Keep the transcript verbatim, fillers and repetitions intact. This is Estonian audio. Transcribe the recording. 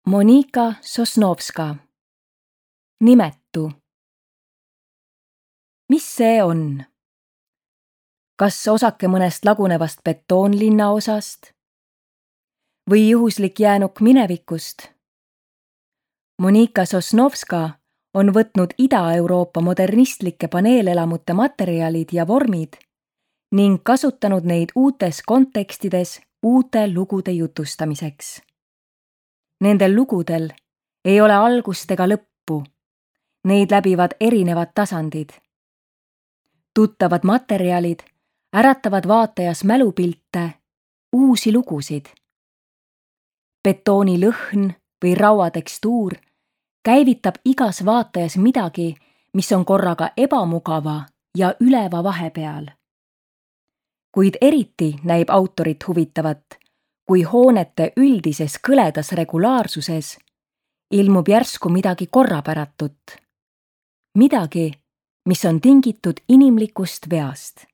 Monika Sosnovska. Nimetu. Mis see on? Kas osake mõnest lagunevast betoonlinna osast? Või juhuslik jäänuk minevikust? Monika Sosnovska on võtnud Ida-Euroopa modernistlike paneelelamute materjalid ja vormid ning kasutanud neid uutes kontekstides uute lugude jutustamiseks. Nendel lugudel ei ole algust ega lõppu. Neid läbivad erinevad tasandid. Tuttavad materjalid äratavad vaatajas mälupilte, uusi lugusid. Betooni lõhn või raua tekstuur käivitab igas vaatajas midagi, mis on korraga ebamugava ja üleva vahepeal. Kuid eriti näib autorit huvitavat, kui hoonete üldises kõledas regulaarsuses ilmub järsku midagi korrapäratut. Midagi, mis on tingitud inimlikust veast.